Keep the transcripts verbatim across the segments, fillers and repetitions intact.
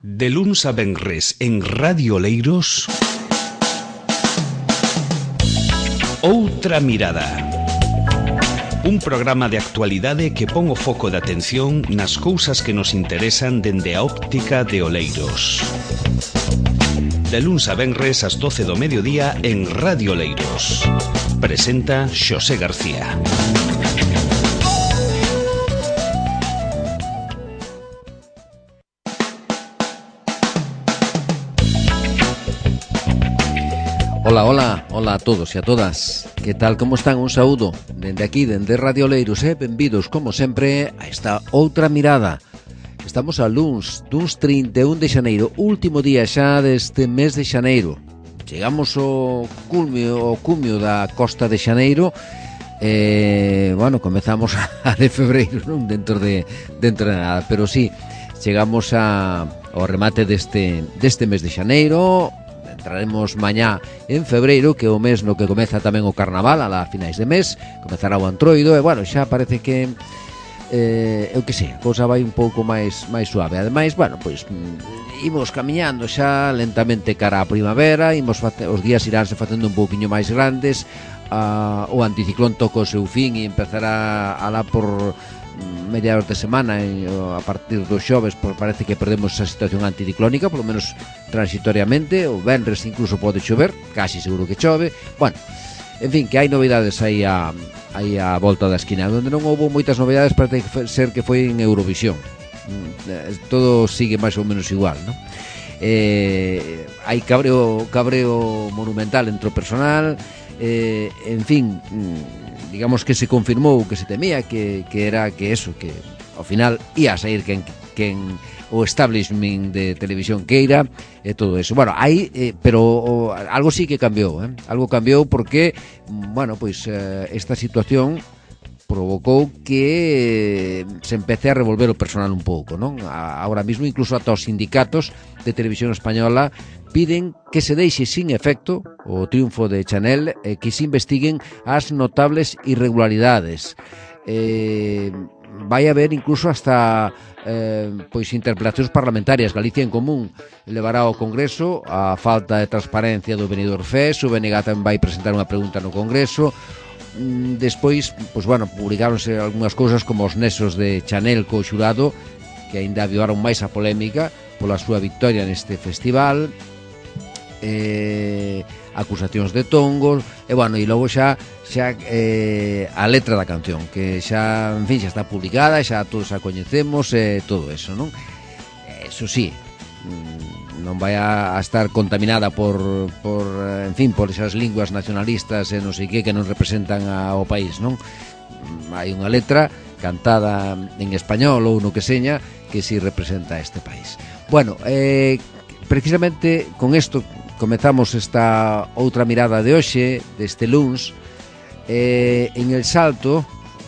De luns a venres en Radio Oleiros, Outra Mirada. Un programa de actualidade que pon o foco de atención nas cousas que nos interesan dende a óptica de Oleiros. De luns a venres ás doce do mediodía en Radio Oleiros. Presenta Xosé García. Ola, ola, ola a todos e a todas. Que tal, como están? Un saúdo dende aquí, dende Radio Oleiros, e benvidos, como sempre, a esta outra mirada. Estamos a luns, duns trinta e un de xaneiro, último día xa deste mes de xaneiro. Chegamos ao culmio, ao cumio da costa de xaneiro e, bueno, comezamos a de febreiro, non? Dentro de, dentro de nada, pero sí, chegamos a, ao remate deste, deste mes de xaneiro. Entraremos mañá en febreiro, que é o mes no que comeza tamén o carnaval, a la finais de mes, comezará o antroido, e, bueno, xa parece que eh, eu que sei, a cousa vai un pouco máis máis suave. Ademais, bueno, pois imos camiñando xa lentamente cara á primavera, imos face, os días iránse facendo un pouquiño máis grandes, a, o anticiclón toca o seu fin e empezará a lá por mediados de semana, e a partir dos xoves pues, parece que perdemos esa situación anticiclónica, polo menos transitoriamente. O venres incluso pode chover, casi seguro que chove. Bueno, en fin, que hai novidades aí a, aí a volta da esquina. Onde non houve moitas novidades parece ser que foi en Eurovisión. Todo sigue máis ou menos igual, non? Eh, hai cabreo, cabreo monumental entre o personal, eh, en fin, digamos que se confirmou que se temía que, que era que eso, que ao final ia a sair quen, quen o establishment de televisión queira e todo eso. Bueno, aí, eh, pero o, algo sí que cambiou, eh? Algo cambiou porque, bueno, pois eh, esta situación provocou que se empece a revolver o personal un pouco, non? Ahora mismo incluso ata os sindicatos de televisión española piden que se deixe sin efecto o triunfo de Chanel e que se investiguen as notables irregularidades. Eh, vai haber incluso hasta eh, pois interpelacións parlamentarias. Galicia en Común levará ao Congreso a falta de transparencia do Benidorm Fest, o B N G tamén vai presentar unha pregunta no Congreso. Despois, pois bueno, publicaronse algunhas cousas como os nexos de Chanel co xurado, que aínda avivaron máis a polémica pola súa victoria neste festival, eh, acusacións de tongos, e bueno, e logo xa xa eh, a letra da canción, que xa, en fin, xa está publicada, xa todos a coñecemos e eh, todo eso, non? Eso sí, non vai a estar contaminada por, por, en fin, por esas linguas nacionalistas e non sei que que non representan ao país, non? Hai unha letra cantada en español ou no que seña que si representa este país. Bueno, eh, precisamente con isto comezamos esta outra mirada de hoxe, deste luns. Eh, en El Salto,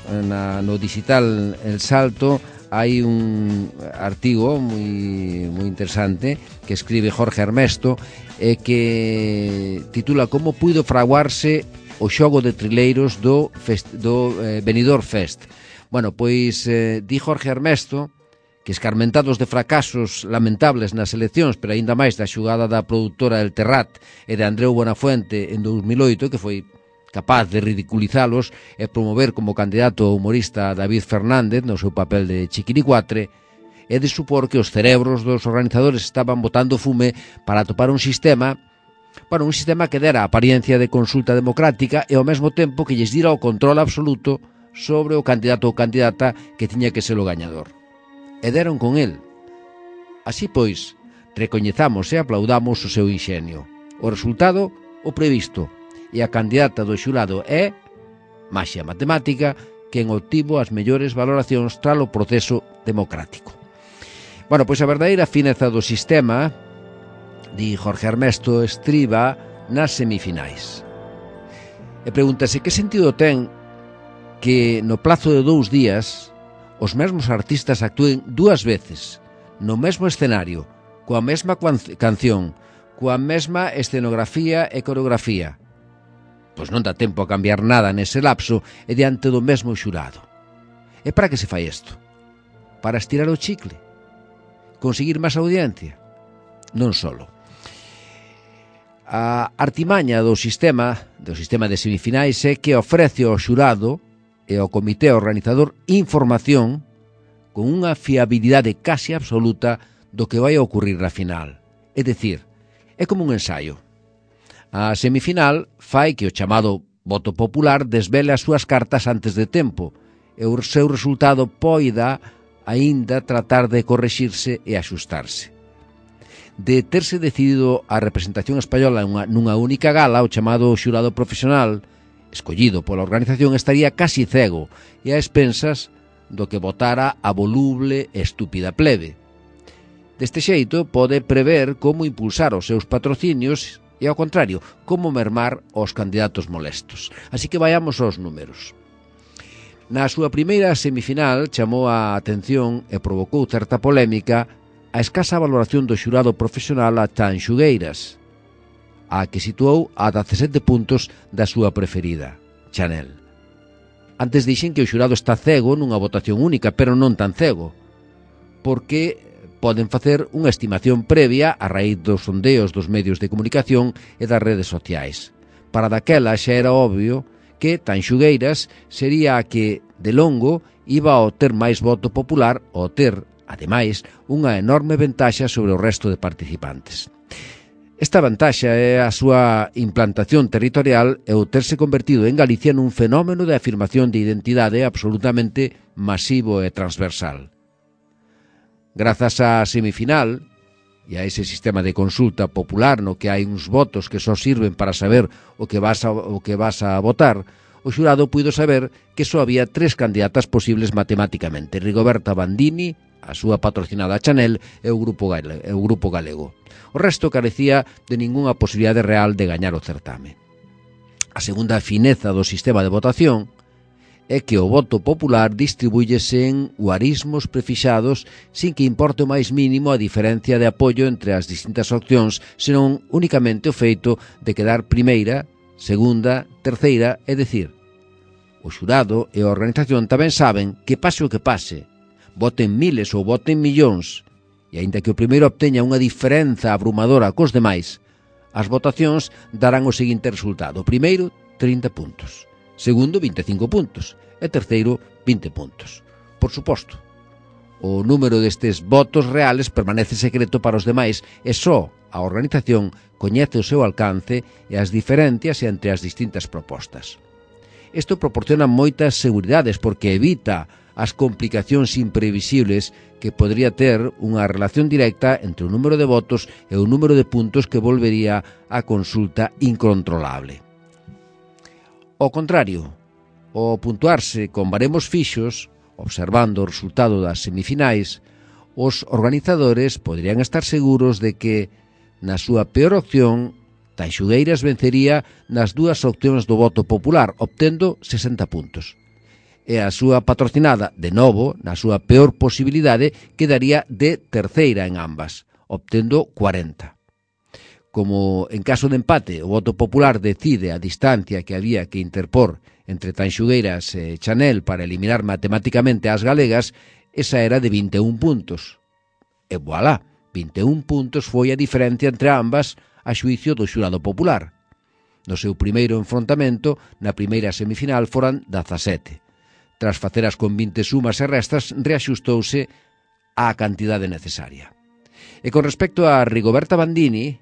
na, no digital El Salto, hai un artigo moi, moi interesante que escribe Jorge Ernesto e eh, que titula Como puido fraguarse o xogo de trileiros do, fest, do eh, Benidorm Fest. Bueno, pois eh, di Jorge Ernesto que escarmentados de fracasos lamentables nas eleccións, pero aínda máis da xugada da produtora El Terrat e de Andreu Buenafuente en dous mil oito, que foi capaz de ridiculizalos e promover como candidato o humorista David Fernández no seu papel de Chiquiricuatre, e de supor que os cerebros dos organizadores estaban botando fume para atopar un sistema, bueno, un sistema que dera a apariencia de consulta democrática e ao mesmo tempo que lles dira o control absoluto sobre o candidato ou candidata que tiña que ser o gañador. E deron con el. Así pois, recoñezamos e aplaudamos o seu inxenio. O resultado, o previsto. E a candidata do xurado é maxia matemática, quen obtivo as mellores valoracións tras o proceso democrático. Bueno, pois a verdadeira fineza do sistema, di Jorge Ernesto, estriba nas semifinais. E pregúntase que sentido ten que no plazo de dous días os mesmos artistas actúen dúas veces no mesmo escenario, coa mesma canción, coa mesma escenografía e coreografía. Pois non dá tempo a cambiar nada nese lapso e diante do mesmo xurado. E para que se fai isto? Para estirar o chicle? Conseguir máis audiencia? non solo. A artimaña do sistema, do sistema de semifinais é que ofrece ao xurado e ao comité organizador información con unha fiabilidade casi absoluta do que vai a ocurrir na final. É dicir, é como un ensaio. A semifinal fai que o chamado voto popular desvele as súas cartas antes de tempo e o seu resultado poida aínda tratar de correxirse e axustarse. De terse decidido a representación española nunha única gala, o chamado xurado profesional, escollido pola organización, estaría casi cego e a expensas do que votara a voluble e estúpida plebe. Deste xeito, pode prever como impulsar os seus patrocinios e, ao contrario, como mermar os candidatos molestos. Así que vayamos aos números. Na súa primeira semifinal chamou a atención e provocou certa polémica a escasa valoración do xurado profesional a Tan Xugueiras, a que situou a dezasete puntos da súa preferida, Chanel. Antes dixen que o xurado está cego nunha votación única, pero non tan cego, porque poden facer unha estimación previa a raíz dos sondeos dos medios de comunicación e das redes sociais. Para daquela xa era obvio que Tan Xugueiras sería a que, de longo, iba a ter máis voto popular ou ter, ademais, unha enorme ventaxa sobre o resto de participantes. Esta vantaxa é a súa implantación territorial e o terse convertido en Galicia nun fenómeno de afirmación de identidade absolutamente masivo e transversal. Grazas á semifinal e a ese sistema de consulta popular no que hai uns votos que só sirven para saber o que vas a, o que vas a votar, o xurado puido saber que só había tres candidatas posibles matemáticamente: Rigoberta Bandini, a súa patrocinada Chanel e o Grupo Galego, e o Grupo Galego. O resto carecía de ningunha posibilidade real de gañar o certame. A segunda fineza do sistema de votación é que o voto popular distribúyese en guarismos prefixados sin que importe o máis mínimo a diferencia de apoio entre as distintas opcións, senón únicamente o feito de quedar primeira, segunda, terceira, é dicir, o xurado e a organización tamén saben que pase o que pase, voten miles ou voten millóns, e aínda que o primeiro obteña unha diferenza abrumadora cos demais, as votacións darán o seguinte resultado: primeiro, trinta puntos, segundo, vinte e cinco puntos, e terceiro, vinte puntos. Por suposto, o número destes votos reales permanece secreto para os demais e só a organización coñece o seu alcance e as diferencias entre as distintas propostas. Isto proporciona moitas seguridades porque evita as complicacións imprevisibles que podría ter unha relación directa entre o número de votos e o número de puntos que volvería a consulta incontrolable. Ao contrario, ao puntuarse con baremos fixos, observando o resultado das semifinais, os organizadores poderían estar seguros de que, na súa peor opción, Tan Xugueiras vencería nas dúas opcións do voto popular, obtendo sesenta puntos. E a súa patrocinada, de novo, na súa peor posibilidade, quedaría de terceira en ambas, obtendo cuarenta. Como en caso de empate o voto popular decide a distancia que había que interpor entre Tan Xugueiras e Chanel para eliminar matemáticamente as galegas, esa era de vinte e un puntos. E voilá, vinte e un puntos foi a diferencia entre ambas a xuicio do xurado popular. No seu primeiro enfrontamento, na primeira semifinal, foran dezasete. Tras facer as con vinte sumas e restas, reaxustouse á cantidade necesaria. E con respecto a Rigoberta Bandini,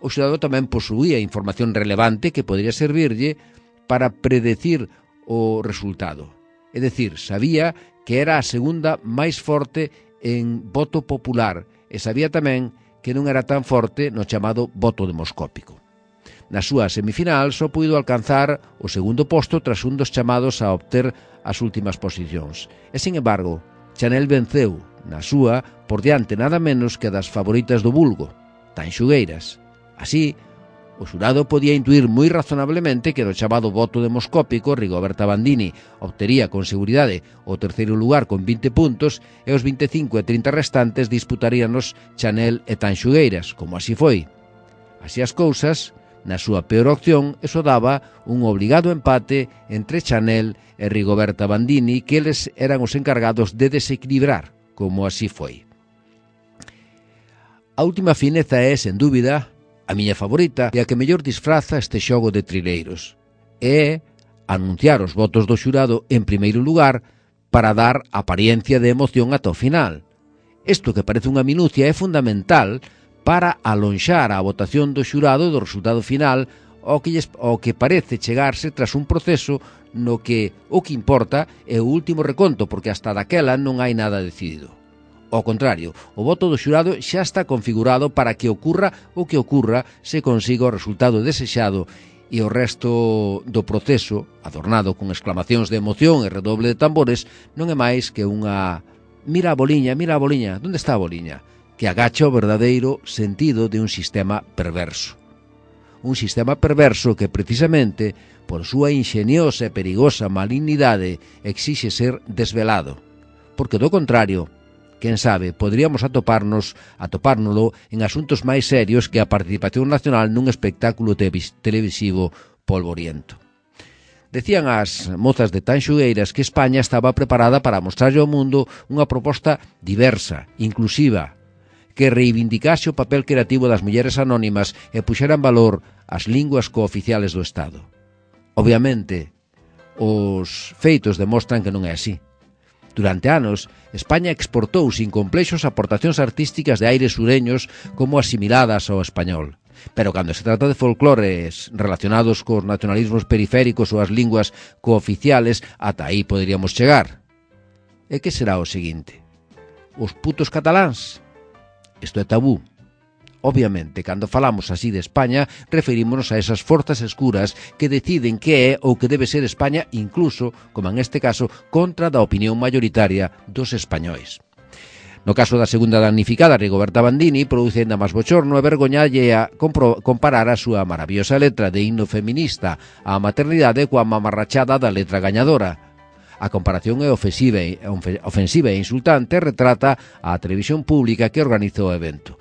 o xurado tamén posuía información relevante que podría servirlle para predecir o resultado. É dicir, sabía que era a segunda máis forte en voto popular e sabía tamén que non era tan forte no chamado voto demoscópico. Na súa semifinal só puido alcanzar o segundo posto tras un dos chamados a obter as últimas posicións. E, sin embargo, Chanel venceu, na súa, por diante nada menos que das favoritas do vulgo, Tan Xugueiras. Así, o xurado podía intuir moi razonablemente que no chamado voto demoscópico Rigoberta Bandini obtería con seguridade o terceiro lugar con vinte puntos e os vinte e cinco e trinta restantes disputaríanos Chanel e Tan Xugueiras, como así foi. Así as cousas, na súa peor opción, eso daba un obligado empate entre Chanel e Rigoberta Bandini, que eles eran os encargados de desequilibrar, como así foi. A última fineza é, sen dúbida, a miña favorita e a que mellor disfraza este xogo de trileiros. É anunciar os votos do xurado en primeiro lugar para dar apariencia de emoción ata o final. Isto que parece unha minucia é fundamental para alonxar a votación do xurado do resultado final ao que, lles, ao que parece chegarse tras un proceso no que o que importa é o último reconto, porque hasta daquela non hai nada decidido. Ao contrario, o voto do xurado xa está configurado para que ocurra o que ocurra se consiga o resultado desexado e o resto do proceso, adornado con exclamacións de emoción e redoble de tambores, non é máis que unha mira a boliña, mira a boliña, onde está a boliña? Que agacha o verdadeiro sentido de un sistema perverso. Un sistema perverso que precisamente, por súa ingeniosa e perigosa malignidade, exixe ser desvelado. Porque do contrario, quen sabe, poderíamos atoparnos, atopárnolo en asuntos máis serios que a participación nacional nun espectáculo televisivo polvoriento. Decían as mozas de Tanxugueiras que España estaba preparada para mostrarlle ao mundo unha proposta diversa, inclusiva, que reivindicase o papel creativo das mulleres anónimas e puxera en valor as linguas cooficiales do Estado. Obviamente, os feitos demostran que non é así. Durante anos, España exportou sin complexos aportacións artísticas de aires sureños como asimiladas ao español. Pero cando se trata de folclores relacionados cos nacionalismos periféricos ou as linguas cooficiales, ata aí poderíamos chegar. E que será o seguinte? Os putos cataláns? Isto é tabú. Obviamente, cando falamos así de España, referímonos a esas forzas escuras que deciden que é ou que debe ser España, incluso, como en este caso, contra da opinión mayoritaria dos españois. No caso da segunda damnificada, Rigoberta Bandini, produce ainda máis bochorno e vergoñalle a comparar a súa maravillosa letra de himno feminista á maternidade coa mamarrachada da letra gañadora. A comparación é ofensiva e insultante e retrata a televisión pública que organizou o evento.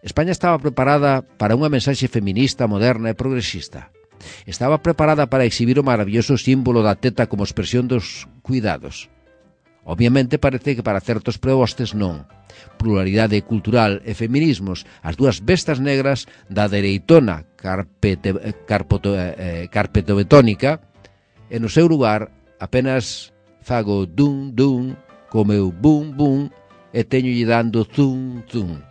España estaba preparada para unha mensaxe feminista, moderna e progresista. Estaba preparada para exhibir o maravilloso símbolo da teta como expresión dos cuidados. Obviamente parece que para certos prepostes non. Pluralidade cultural e feminismos, as dúas bestas negras da dereitona carpete, carpoto, eh, carpetobetónica, e no seu lugar apenas fago dun dun co meu bum bum e teñolle dando zum zum.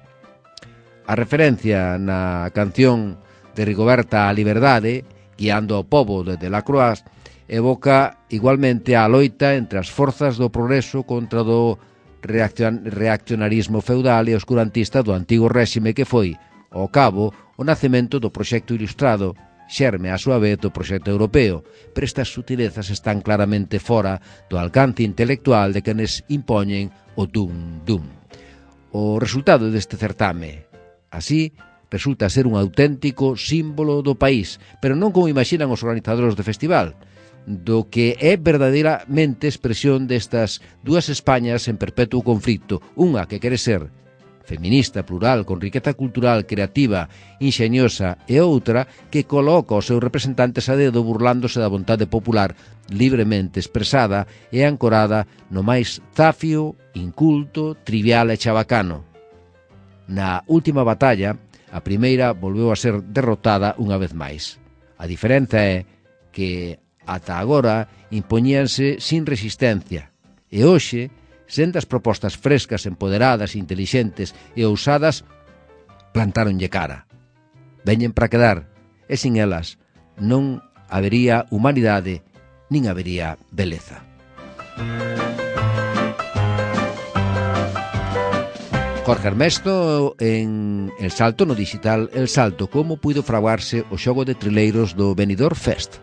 A referencia na canción de Rigoberta á liberdade, guiando ao pobo desde la Croix, evoca igualmente a loita entre as forzas do progreso contra do reaccionarismo feudal e oscurantista do antigo réxime que foi, ao cabo, o nacemento do proxecto ilustrado, xerme a súa vez do proxecto europeo, pero estas sutilezas están claramente fora do alcance intelectual de quenes impoñen o dum-dum. O resultado deste certame, así, resulta ser un auténtico símbolo do país, pero non como imaxinan os organizadores do festival, do que é verdadeiramente expresión destas dúas Españas en perpetuo conflito, unha que quere ser feminista, plural, con riqueza cultural, creativa, inxeniosa, e outra que coloca os seus representantes a dedo burlándose da vontade popular libremente expresada e ancorada no máis zafio, inculto, trivial e chabacano. Na última batalla, a primeira volveu a ser derrotada unha vez máis. A diferenza é que ata agora impoñíanse sin resistencia e hoxe, sendas propostas frescas, empoderadas, intelixentes e ousadas, plantáronlle cara. Veñen para quedar e sin elas non habería humanidade nin habería beleza. Jorge Ernesto en El Salto, no digital El Salto, como puido fraguarse o xogo de trileiros do Benidorm Fest.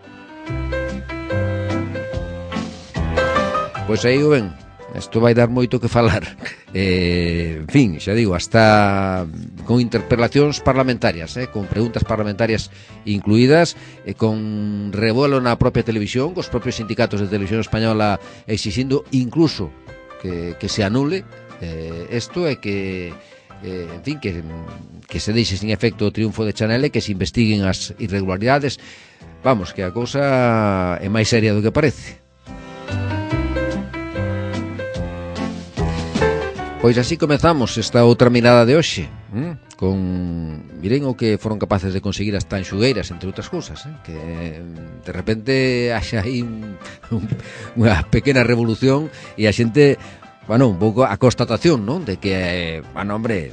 Pois aí o ven, isto vai dar moito que falar. Eh, en fin, xa digo, hasta con interpelacións parlamentarias, eh, con preguntas parlamentarias incluídas, e con revuelo na propia televisión, cos propios sindicatos de televisión española exixindo incluso que, que se anule eh, isto e que, eh, en fin, que, que se deixe sin efecto o triunfo de Chanel e que se investiguen as irregularidades. Vamos, que a cousa é máis seria do que parece. Pois así comezamos esta outra mirada de hoxe, ¿eh? con miren o que foron capaces de conseguir as tanxugueiras, entre outras cousas, eh? Que de repente haxa aí un, un, unha pequena revolución e a xente, bueno, un pouco a constatación, non? De que, bueno, hombre,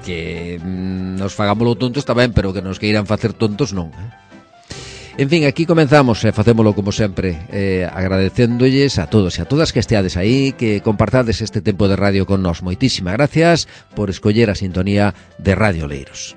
que mm, nos fagámoslo tontos está ben, pero que nos queiran facer tontos non, eh? En fin, aquí comenzamos, eh, facémolo como sempre, eh, agradecéndolles a todos e a todas que esteades aí, que compartades este tempo de radio con nós. Moitísimas gracias por escoller a sintonía de Radio Oleiros.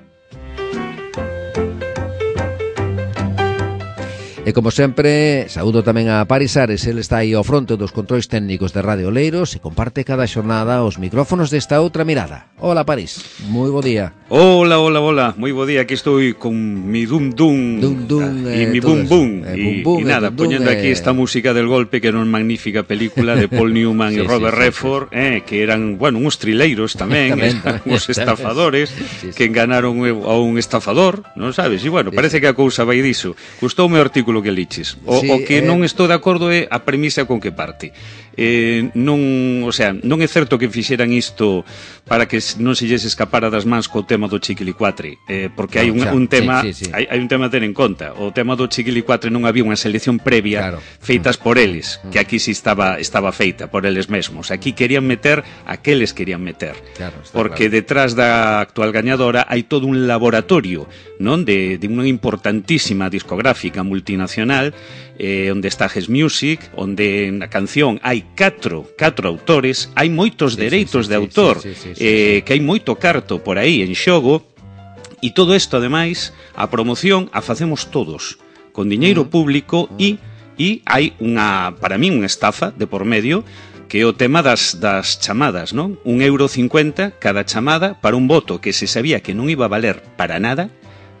E como sempre, saúdo tamén a Paris Ares, el está aí ao fronte dos controis técnicos de Radio Oleiros e comparte cada xornada os micrófonos desta outra mirada. Hola, Paris, moi bo día. Hola, hola, hola, moi bo día, aquí estou con mi dum dum, dum, dum e eh, mi bum bum, eh, e, bum, bum, e nada, dum, poñendo dum, aquí eh... esta música del golpe, que era unha magnífica película de Paul Newman sí, e Robert sí, sí, Redford, sí. Eh, que eran, bueno, uns trileiros tamén, tamén, tamén uns estafadores, sí, sí. que enganaron a un estafador, non sabes? E bueno, sí, parece sí. que a cousa vai diso. Gustoume o artículo que liches. O, sí, o que eh... non estou de acordo é a premisa con que parte. Eh, non, o sea, non é certo que fixeran isto para que non se lles escapara das mans co tema do Chiquilicuatre, eh, porque hai un, xa, un tema, sí, sí, sí. Hai, hai un tema a ter en conta. O tema do Chiquilicuatre non había unha selección previa, claro, feitas mm. por eles, mm. que aquí sí estaba estaba feita por eles mesmos. Aquí querían meter aqueles querían meter. Claro, porque claro. Detrás da actual gañadora hai todo un laboratorio, non, de, de unha importantísima discográfica multinacional, eh, onde está Ges Music, onde na canción hai catro, catro autores, hai moitos sí, dereitos sí, sí, de autor, sí, sí, sí, sí, eh, sí. que hai moito carto por aí en xogo, e todo isto, ademais, a promoción a facemos todos, con diñeiro mm. público, mm. e, e hai unha, para mí, unha estafa de por medio, que é o tema das, das chamadas, non? Un euro cincuenta cada chamada para un voto que se sabía que non iba a valer para nada,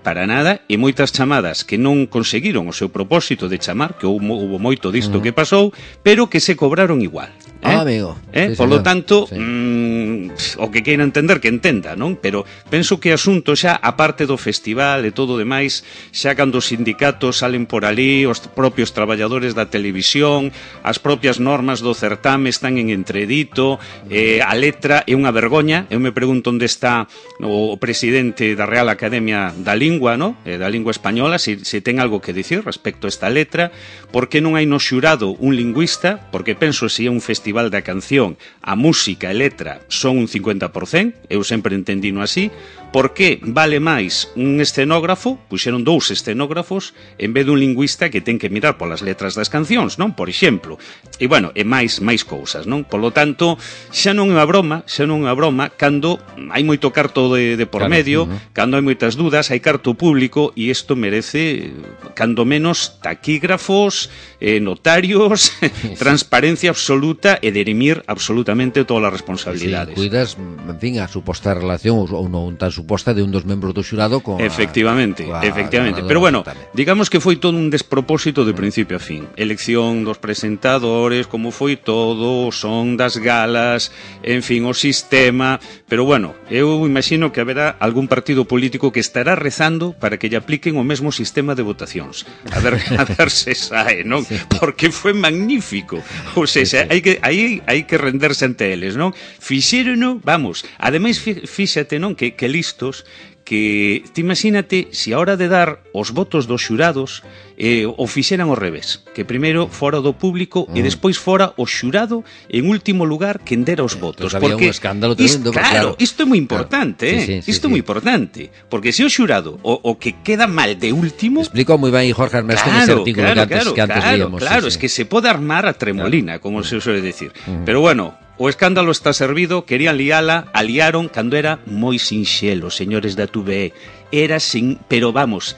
para nada, e moitas chamadas que non conseguiron o seu propósito de chamar, que houve, houve moito disto uh -huh. que pasou, pero que se cobraron igual. Eh? Ah, amigo. Eh? Sí, Por lo tanto, sí. mmm, o que queira entender, que entenda, non? Pero penso que asunto xa, a parte do festival e todo o demais, xa cando os sindicatos salen por ali, os propios traballadores da televisión, as propias normas do certame están en entredito, eh, a letra é unha vergoña. Eu me pregunto onde está o presidente da Real Academia da Lingua, ¿no? eh, da lingua española, se, se ten algo que dicir respecto a esta letra. Por que non hai no xurado un lingüista? Porque penso, se é un festival da canción, a música e letra son un cincuenta por cento, eu sempre entendino así. Por que vale máis un escenógrafo, puxeron dous escenógrafos, en vez dun lingüista que ten que mirar polas letras das cancións, non? Por exemplo. E, bueno, e máis máis cousas, non? Por lo tanto, xa non é unha broma, xa non é unha broma, cando hai moito carto de, de por claro, medio, uh -huh. cando hai moitas dudas, hai carto público, e isto merece, cando menos, taquígrafos, eh, notarios, transparencia absoluta e derimir absolutamente todas as responsabilidades. Sí, cuidas, en fin, a suposta relación ou non tan suposta de un dos membros do xurado con efectivamente, a, efectivamente. A pero bueno, tamén. Digamos que foi todo un despropósito de principio a fin. Elección dos presentadores, como foi todo, son das galas, en fin, o sistema, pero bueno, eu imagino que haberá algún partido político que estará rezando para que lle apliquen o mesmo sistema de votacións. A ver, a ver se sae, non? Sí. Porque foi magnífico. Ou seja, sí, sí. hai que aí hai que renderse ante eles, non? Fixérono, vamos, ademais fíxate, non, que que listos, que te imagínate se a hora de dar os votos dos xurados eh, o fixeran ao revés, que primeiro fora do público mm. e despois fora o xurado en último lugar quen dera os votos. Entonces, porque había un escándalo tremendo, claro, claro, isto é moi importante, claro. eh? sí, sí, isto é sí, moi sí. importante, porque se o xurado o, o que queda mal de último, explicou moi ben Jorge Armesto claro, nese artículo claro, que antes, claro, que antes claro, víamos. Claro, sí, es sí. que se pode armar a tremolina, claro. como se suele decir. Mm. Pero bueno, o escándalo está servido, querían liala, aliaron cando era moi sinxelo, señores da T V E. Era sin, pero vamos,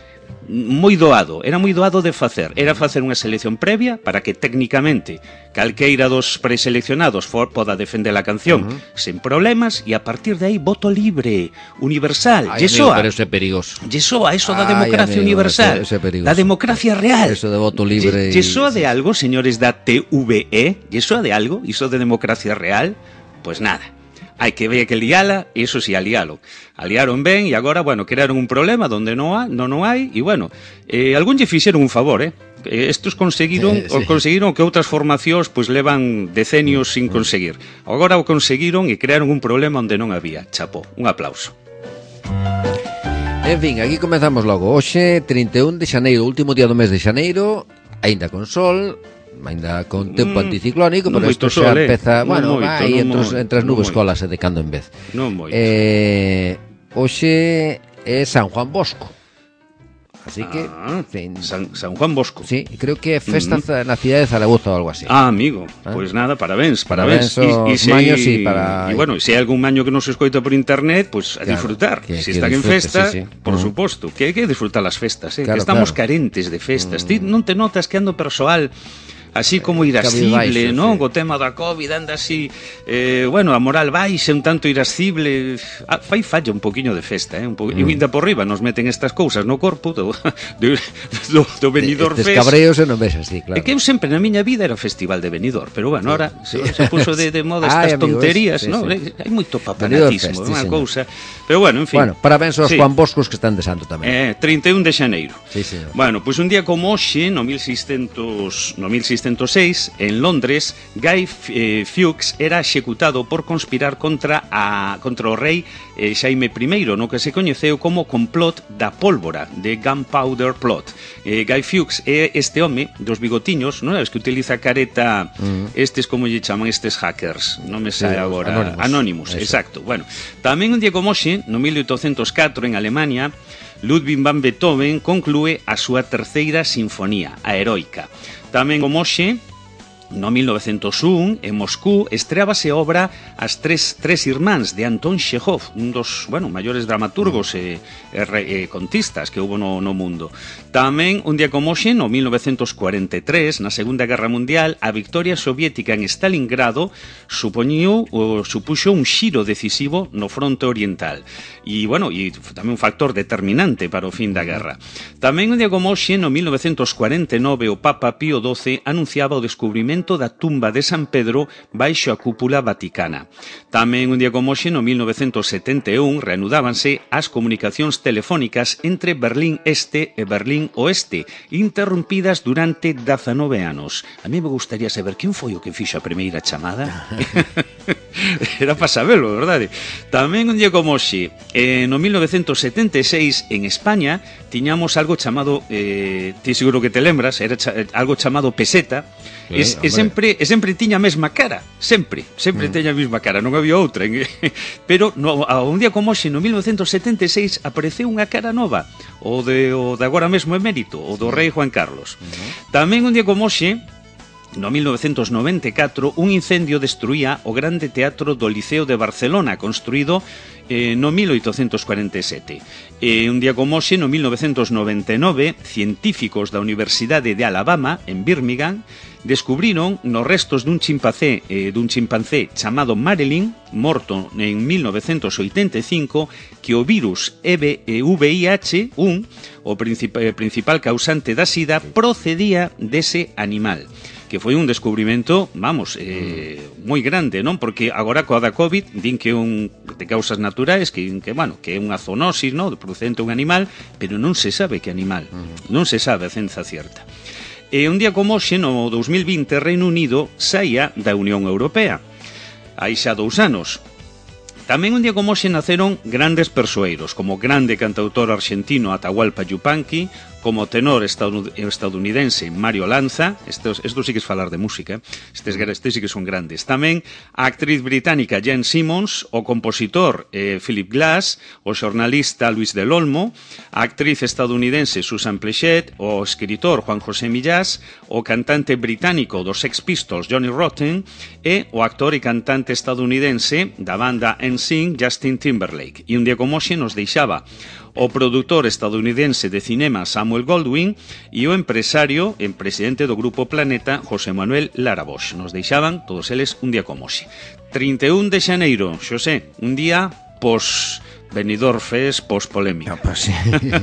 moi doado, era moi doado de facer. Era facer unha selección previa para que técnicamente calqueira dos preseleccionados for, poda defender a canción uh -huh. sen problemas, e a partir de aí voto libre, universal. Ay, amigo, pero eso é perigoso. Yesoa, eso da Ay, democracia amigo, universal, eso, eso da democracia real. Eso de voto libre. Yesoa de algo, señores da T V E, yesoa de algo, iso de democracia real, pues nada. Hai que ver que liala, e iso si alialo. Aliaron ben, e agora, bueno, crearon un problema donde non hai, non, non hai, e bueno, eh, algún lle fixeron un favor, eh? Estos conseguiron, sí, sí. conseguiron que outras formacións pois levan decenios sin conseguir. Agora o conseguiron e crearon un problema onde non había. Chapó, un aplauso. En fin, aquí comezamos logo. Hoxe, trinta e un de xaneiro, último día do mes de xaneiro, aínda con sol, aínda con tempo mm, anticiclónico, pero isto xa sol, empeza, eh? bueno, moito, vai entre, moito, entre as nubes colase de cando en vez. Non moito. Eh, hoxe é San Juan Bosco. Así que ah, fin, San, San Juan Bosco. Sí, creo que é festa mm. na cidade de Zaragoza ou algo así. Ah, amigo, ¿Eh? Pois pues nada, parabéns, parabéns. Parabéns aos maños e para... E bueno, se hai algún maño que non se escoita por internet, pois pues a claro, disfrutar. Que, se que están disfrute, en festa, sí, sí. por uh-huh. suposto, que hai que disfrutar as festas, eh? Claro, que estamos claro. carentes de festas. Mm. Ti non te notas que ando persoal así como irascible, non? Sí. Co tema da COVID anda así, eh, bueno, a moral baixa, un tanto irascible. Ah, fai falla un poquinho de festa, eh? Un po... mm. E ainda por riba nos meten estas cousas no corpo do, do, do, do Benidorm Fest. Estes cabreos e non ves así, claro. É que eu sempre na miña vida era o festival de Benidorm, pero bueno, ahora sí. se, se puso de, de moda estas Ay, amigos, tonterías, sí, non? Sí. Hai moito papanatismo, é unha sí, cousa. Pero bueno, en fin. Bueno, parabéns aos sí. Juan Boscos que están de santo tamén. Eh, trinta e un de xaneiro. Sí, señor. Bueno, pois pues un día como hoxe, no mil seiscentos e seis, en Londres, Guy eh, Fawkes era executado por conspirar contra a contra o rei eh, Xaime I, no que se coñeceu como complot da pólvora, de Gunpowder Plot. Eh, Guy Fawkes é este home dos bigotiños, non sabes que utiliza careta, uh-huh. estes como lle chaman estes hackers, non me sae sí, agora, Anonymous, Anonymous exacto. Bueno, tamén un día como hoxe, no mil oitocentos catro en Alemania, Ludwig van Beethoven conclúe a súa terceira sinfonía, a Heroica. Tamén como hoxe, no mil novecentos un, en Moscú, estreábase a obra As tres, tres irmáns de Anton Chekhov, un dos, bueno, maiores dramaturgos e, e, e contistas que houve no, no mundo. Tamén, un día como hoxe, no mil novecentos cuarenta e tres, na Segunda Guerra Mundial, a victoria soviética en Stalingrado supoñiu, o, supuxo un xiro decisivo no fronte oriental. E, bueno, e tamén un factor determinante para o fin da guerra. Tamén, un día como hoxe, no mil novecentos cuarenta e nove, o Papa Pío doce anunciaba o descubrimento da tumba de San Pedro baixo a cúpula vaticana. Tamén un día como hoxe, no mil novecentos setenta e un, reanudábanse as comunicacións telefónicas entre Berlín Este e Berlín Oeste, interrompidas durante dezanove anos. A mí me gustaría saber quen foi o que fixo a primeira chamada. Era para sabelo, verdade? Tamén un día como hoxe, eh, no mil novecentos setenta e seis, en España, tiñamos algo chamado, eh, ti seguro que te lembras, era cha algo chamado peseta. E, e sempre e sempre tiña a mesma cara, sempre, sempre mm. tiña a mesma cara, non había outra. Pero no, a un día como hoxe, no mil novecentos setenta e seis, apareceu unha cara nova, o de o de agora mesmo emérito, o do rei Juan Carlos. Mm-hmm. Tamén un día como hoxe, no mil novecentos noventa e catro, un incendio destruía o grande teatro do Liceo de Barcelona, construído eh, no mil oitocentos cuarenta e sete. E un día como hoxe, no mil novecentos noventa e nove, científicos da Universidade de Alabama, en Birmingham, descubriron nos restos dun chimpancé eh, dun chimpancé chamado Marilyn, morto en mil novecentos oitenta e cinco, que o virus V I H uno, o princip principal causante da sida, procedía dese animal, que foi un descubrimento, vamos, eh, moi grande, non? Porque agora coa da COVID din que un de causas naturais, que, que bueno, que é unha zoonosis, non? Procedente un animal, pero non se sabe que animal, non se sabe a ciencia cierta. E un día como hoxe, no dos mil vinte, Reino Unido saía da Unión Europea. Hai xa dous anos. Tamén un día como hoxe naceron grandes persoeiros, como o grande cantautor argentino Atahualpa Yupanqui, como tenor estadounidense Mario Lanza, estos, estos sí que es falar de música, estes, estes sí que son grandes. Tamén a actriz británica Jane Simmons, o compositor eh, Philip Glass, o xornalista Luis del Olmo, a actriz estadounidense Susan Pleshette, o escritor Juan José Millás, o cantante británico dos Sex Pistols Johnny Rotten e o actor e cantante estadounidense da banda N Sync Justin Timberlake. E un día como hoxe nos deixaba o produtor estadounidense de cinema Samuel Goldwyn e o empresario e presidente do Grupo Planeta José Manuel Lara Bosch. Nos deixaban todos eles un día como hoxe. trinta e un de xaneiro, xosé, un día pos Benidorm Fest post-polémica. No, pues sí,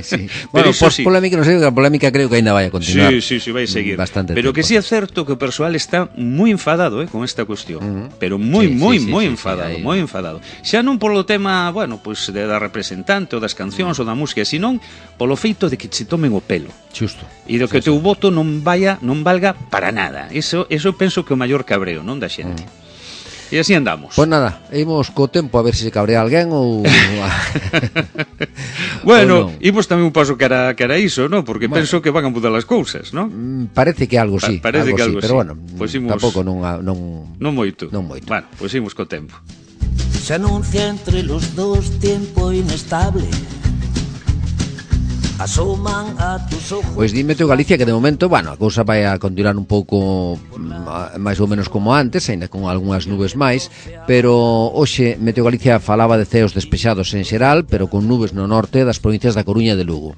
sí. Bueno, post-polémica, sí. Non sei, a polémica creo que ainda vai a continuar. Sí, sí, sí, vai seguir. Bastante pero tiempo. Que sí é certo que o persoal está moi enfadado eh, con esta cuestión. Uh-huh. Pero moi, sí, moi, sí, moi sí, enfadado, sí, sí, moi enfadado. Xa non polo tema, bueno, pues de da representante ou das cancións uh-huh. ou da música, senón polo feito de que se tomen o pelo. Xusto. E do que o teu voto non vaya, non valga para nada. Eso, eso penso que é o maior cabreo, non da xente. Uh-huh. E así andamos. Pois nada, imos co tempo a ver se se cabrea alguén ou... Bueno, imos tamén un paso que era, que era iso, ¿no? Porque bueno, penso que van a mudar as cousas, ¿no? Parece que algo sí, pa parece algo que algo sí, pero sí. bueno, pues imos... tampouco non, non, non moito. Non moito. Bueno, pois pues imos co tempo. Se anuncia entre los dos tiempo inestable. Asoman a tus ojos. Pois di Meteo Galicia que de momento, bueno, a cousa vai a continuar un pouco máis ou menos como antes, aínda con algunhas nubes máis, pero hoxe Meteo Galicia falaba de ceos despexados en xeral, pero con nubes no norte das provincias da Coruña e de Lugo.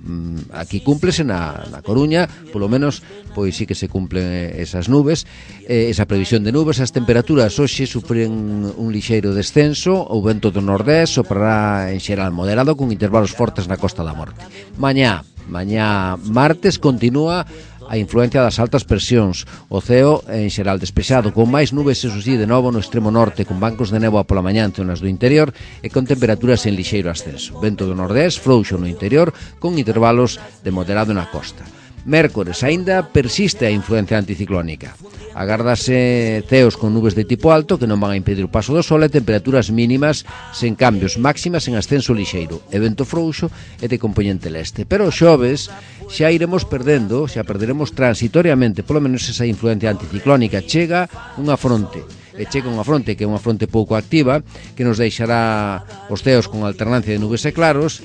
Aquí cúmplese na, na Coruña, polo menos, pois sí que se cumplen esas nubes, eh, esa previsión de nubes. As temperaturas hoxe sufren un lixeiro descenso, o vento do nordés soprará en xeral moderado con intervalos fortes na Costa da Morte. Mañá Mañá martes continúa a influencia das altas presións. O ceo en xeral despexado, con máis nubes, eso sí, de novo no extremo norte, con bancos de néboa pola mañá en zonas do interior e con temperaturas en lixeiro ascenso. Vento do nordés, frouxo no interior, con intervalos de moderado na costa. Mércores, aínda persiste a influencia anticiclónica. Agárdase ceos con nubes de tipo alto que non van a impedir o paso do sol e temperaturas mínimas sen cambios, máximas en ascenso lixeiro, e vento frouxo e de compoñente leste. Pero o xoves xa iremos perdendo, xa perderemos transitoriamente, polo menos esa influencia anticiclónica. Chega unha fronte, e chega unha fronte que é unha fronte pouco activa, que nos deixará os ceos con alternancia de nubes e claros,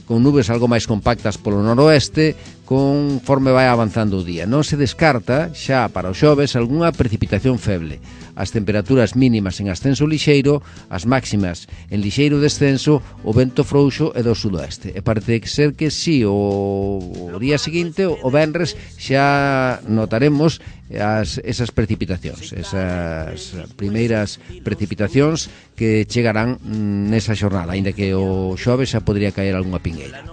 con nubes algo máis compactas polo noroeste, conforme vai avanzando o día. Non se descarta xa para o xoves algunha precipitación feble. As temperaturas mínimas en ascenso lixeiro, as máximas en lixeiro descenso, o vento frouxo e do sudoeste. E parece ser que si o, o día seguinte, o venres, xa notaremos as, esas precipitacións, esas primeiras precipitacións que chegarán nesa xornada, aínda que o xoves xa podría caer algunha pingueira.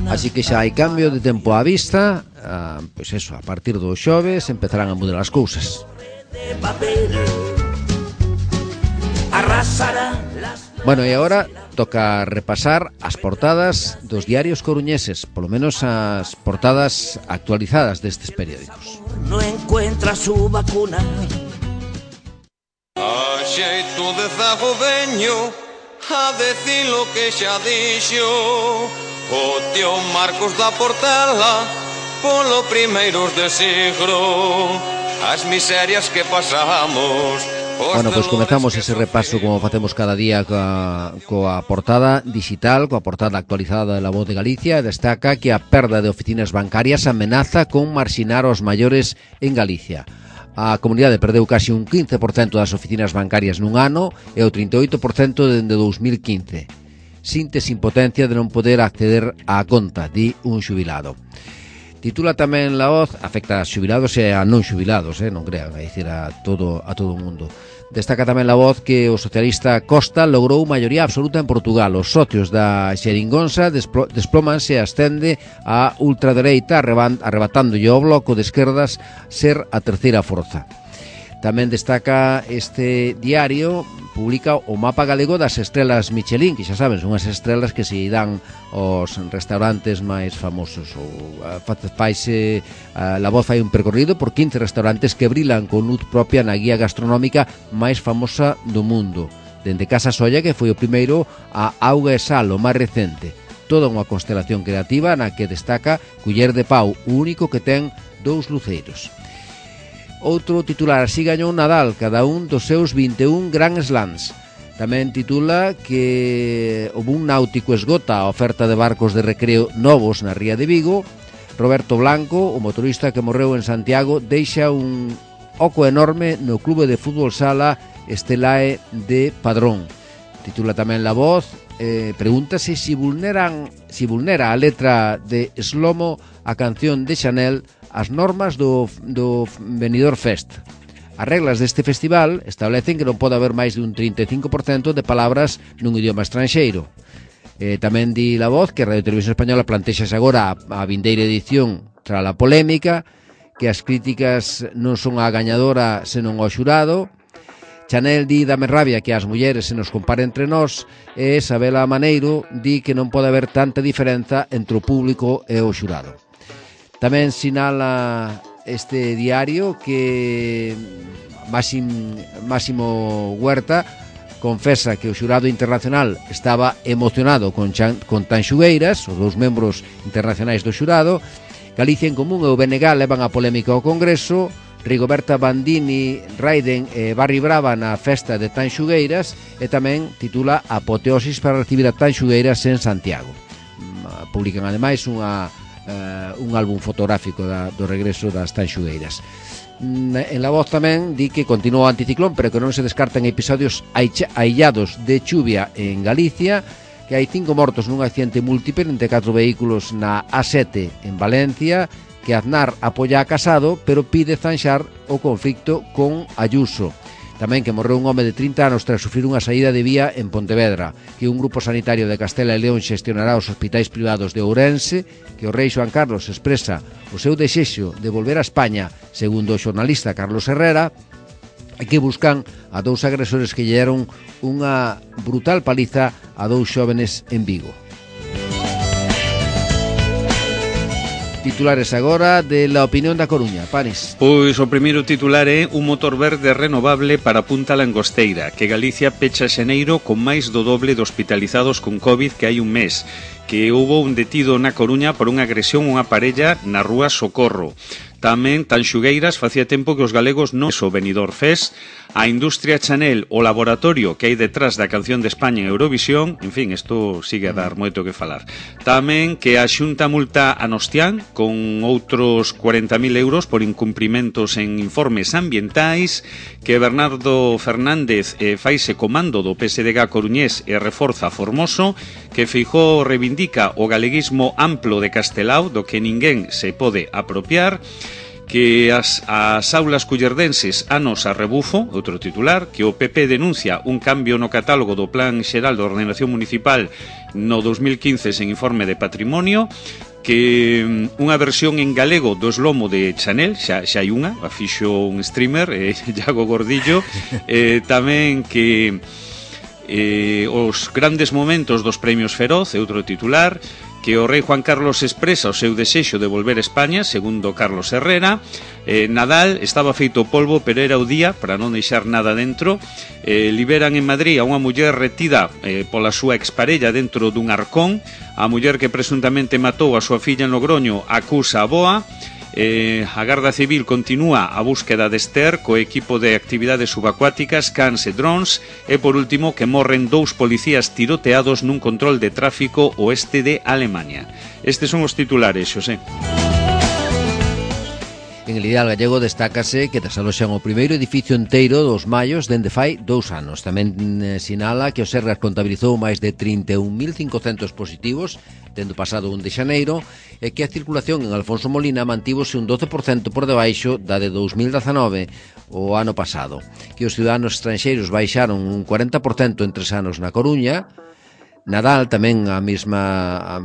Así que xa hai cambio de tempo á vista, ah, pois eso, a partir do xoves empezarán a mudar as cousas. Bueno, e agora toca repasar as portadas dos diarios coruñeses, polo menos as portadas actualizadas destes periódicos. No encuentra su vacuna. A xeito de zago veño a decir lo que xa dixo o tío Marcos da Portela polo primeiros de siglo, as miserias que pasamos. Bueno, pois pues comezamos ese repaso como facemos cada día coa, coa portada digital, coa portada actualizada de La Voz de Galicia. Destaca que a perda de oficinas bancarias amenaza con marxinar os maiores en Galicia. A comunidade perdeu casi un quince por cento das oficinas bancarias nun ano e o trinta e oito por cento dende dous mil quince. Sintes impotencia de non poder acceder á conta, di un xubilado. Titula tamén La Voz, afecta a xubilados e a non xubilados, eh, non crean, a dicir a todo a todo o mundo. Destaca tamén La Voz que o socialista Costa logrou maioría absoluta en Portugal. Os socios da xeringonza desplómanse e ascende a ultradereita, arrebatándolle ao bloco de esquerdas ser a terceira forza. Tamén destaca este diario, publica o mapa galego das estrelas Michelin, que xa saben, son as estrelas que se dan aos restaurantes máis famosos. O, faise, a, La Voz fai un percorrido por quince restaurantes que brilan con luz propia na guía gastronómica máis famosa do mundo. Dende Casa Solla, que foi o primeiro, a Auga e Sal, o máis recente. Toda unha constelación creativa na que destaca Culler de Pau, o único que ten dous luceiros. Outro titular, así gañou Nadal cada un dos seus vinte e un Grand Slams. Tamén titula que o boom náutico esgota a oferta de barcos de recreo novos na ría de Vigo. Roberto Blanco, o motorista que morreu en Santiago, deixa un oco enorme no clube de fútbol sala Estelae de Padrón. Titula tamén La Voz, eh, pregúntase si vulneran, si vulnera a letra de Slomo a canción de Chanel as normas do, do Benidorm Fest. As reglas deste festival establecen que non pode haber máis de un trinta e cinco por cento de palabras nun idioma estranxeiro. Eh, tamén di La Voz que a Radio Televisión Española plantexase agora a, a vindeira edición tras a polémica, que as críticas non son a gañadora senón ao xurado. Chanel di dame rabia que as mulleres se nos compare entre nós, e Isabela Maneiro di que non pode haber tanta diferenza entre o público e o xurado. Tamén sinala este diario que Máxim, Máximo Huerta confesa que o xurado internacional estaba emocionado con, Chan, con Tanxugueiras, os dous membros internacionais do xurado. Galicia en Común e o B N G levan a polémica ao Congreso. Rigoberta Bandini, Raiden e Barry Brava na festa de Tanxugueiras, e tamén titula Apoteosis para recibir a Tanxugueiras en Santiago. Publican ademais unha, uh, un álbum fotográfico da, do regreso das Tanxugueiras. En La Voz tamén di que continúa o anticiclón, pero que non se descartan episodios aillados de chuvia en Galicia, que hai cinco mortos nun accidente múltiple entre catro vehículos na A sete en Valencia, que Aznar apoia a Casado, pero pide zanxar o conflicto con Ayuso. Tamén que morreu un home de trinta anos tras sufrir unha saída de vía en Pontevedra, que un grupo sanitario de Castela e León xestionará os hospitais privados de Ourense, que o rei Xoán Carlos expresa o seu desexo de volver a España, segundo o xornalista Carlos Herrera, e que buscan a dous agresores que lle deron unha brutal paliza a dous xóvenes en Vigo. Titulares agora de La Opinión da Coruña, Panis. Pois o primeiro titular é un motor verde renovable para Punta Langosteira, que Galicia pecha xaneiro con máis do doble de hospitalizados con COVID que hai un mes, que houbo un detido na Coruña por unha agresión a unha parella na rúa Socorro. Tamén Tanxugueiras facía tempo que os galegos non so Benidorm Fest, a industria Chanel, o laboratorio que hai detrás da canción de España en Eurovisión, en fin, isto sigue a dar moito que falar. Tamén que a Xunta multa a Nostián con outros cuarenta mil euros por incumprimentos en informes ambientais, que Bernardo Fernández eh, faise comando do P S D G coruñés e reforza Formoso, que Feijóo reivindica o galeguismo amplo de Castelao, do que ninguén se pode apropiar, que as, as aulas cullerdenses anos a rebufo, outro titular, que o P P denuncia un cambio no catálogo do Plan Xeral de Ordenación Municipal no dos mil quince sen informe de patrimonio, que unha versión en galego do eslomo de Chanel, xa, xa hai unha, a fixo un streamer, eh, Iago Gordillo, eh, tamén que eh, os grandes momentos dos premios Feroz, outro titular, que o rei Juan Carlos expresa o seu desexo de volver a España, segundo Carlos Herrera. eh, Nadal estaba feito polvo, pero era o día para non deixar nada dentro. eh, Liberan en Madrid a unha muller retida eh, pola súa exparella dentro dun arcón. A muller que presuntamente matou a súa filla en Logroño acusa a boa. Eh, a Garda Civil continúa a búsqueda de Esther co equipo de actividades subacuáticas, cans e drones. E por último, que morren dous policías tiroteados nun control de tráfico oeste de Alemania. Estes son os titulares, Xosé. En el Ideal Gallego destácase que desaloxan o primeiro edificio enteiro dos Mallos dende fai dous anos. Tamén eh, sinala que o Sergas contabilizou máis de trinta e un mil cincocentos positivos dende o pasado un de xaneiro, e que a circulación en Alfonso Molina mantívose un doce por cento por debaixo da de dous mil dezanove, o ano pasado. Que os ciudadanos estranxeiros baixaron un cuarenta por cento en tres anos na Coruña. Nadal tamén a mesma,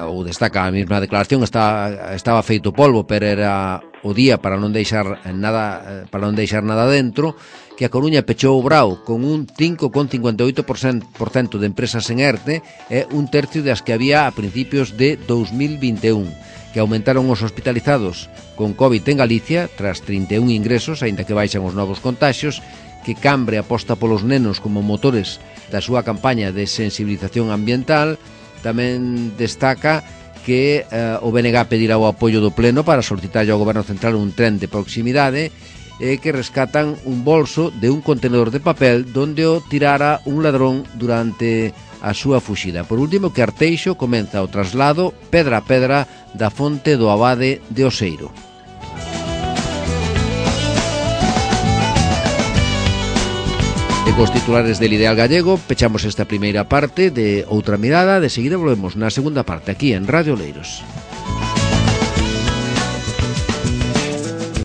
ou destaca a mesma declaración, estaba, estaba feito polvo, pero era o día para non deixar nada, para non deixar nada dentro. Que a Coruña pechou o Brao con un cinco coma cincuenta e oito por cento de empresas en ERTE, e un tercio das que había a principios de dous mil vinte e un. Que aumentaron os hospitalizados con COVID en Galicia tras trinta e un ingresos, aínda que baixan os novos contaxios. Que Cambre aposta polos nenos como motores da súa campaña de sensibilización ambiental. Tamén destaca que eh, o B N G pedirá o apoio do Pleno para solicitar ao Goberno Central un tren de proximidade, e que rescatan un bolso de un contenedor de papel donde o tirara un ladrón durante a súa fuxida. Por último, que Arteixo comeza o traslado pedra a pedra da fonte do Abade de Oseiro. E cos titulares del Ideal Gallego pechamos esta primeira parte de Outra Mirada. De seguida volvemos na segunda parte aquí en Radio Oleiros.